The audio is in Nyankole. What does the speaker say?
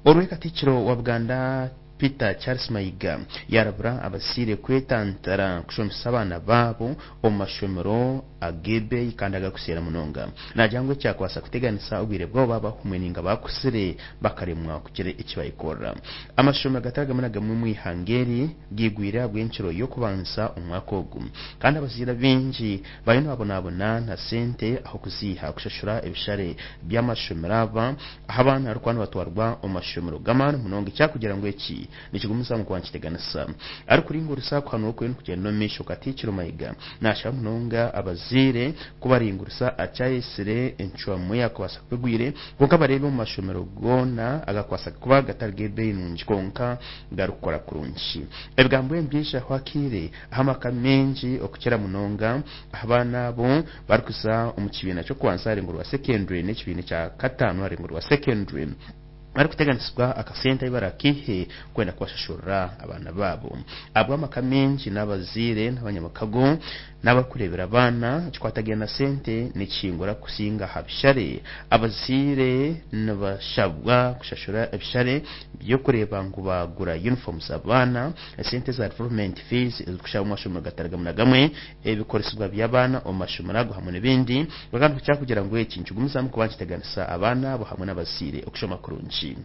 Orwe Katikkiro wa Buganda Peter Charles Mayiga yarabura abazaire kwetantara kushomesa abaana baabo omu mashomero ag'ebeeyi kandi agarikuseera munonga. Naagira ngu ekyakubaasa kuteganisa obwire bwabo baaba bahumwe ninga baakuzire bakaremwa kugira eki bayekorera. Amashomero gatari gamwe na gamwe omu ihanga eri gaigwire ahabw'enkiro y'okubanza omwaka ogu kandi abazaire abaingi bariyo nibabonabona na sente ah'okuziiha kushashura ebishare by'amashomero aba ahu abaana barikuba nibatwarwa omu mashomero g'amaani munonga ekyakugira ngu eki nikigumizamu kuba nikiteganisa. Arikuringurisa kuhanura okuriyo nikugyenda omu maisho, Katikkiro Mayiga nashaba munonga abazaire kubaringurisa akyayetsire encwamu eyakubaasa kuba egwire kwonka bareebe omu mashomero goona agakubaasa kuba gatari g'ebeeyi nungi kwonka garikukora kurungi. Ebigambo ebi nibyija akaire ahu amaka maingi okukira munonga aha baana abo barikuza omu kibiina ky'okubanza aha rurengo rwa secondary n'ekibiina ekya kataano aha rurengo rwa secondary barikuteganisibwa akasente ahu barakaihe kwenda kubashashurira abaana baabo. Ahabw'amaka maingi n'abazaire n'abanyamakago n'abarikureebera abaana, ekikwatagaine na sente nikihingura kusinga aha bishare. Abazaire nibashabwa kushashura ebishare by'okureeba ngu baagura yunifoomu z'abaana, esente za development fees ezirikushabwa omu mashomero gatari gamwe na gamwe, ebikoresibwa by'abaana omu mashomero ago hamwe n'ebindi. Kwonka nikukira kugira ngu eki nikigumizamu kuba nikiteganisa abaana abo hamwe n'abazaire okushoma kurungi.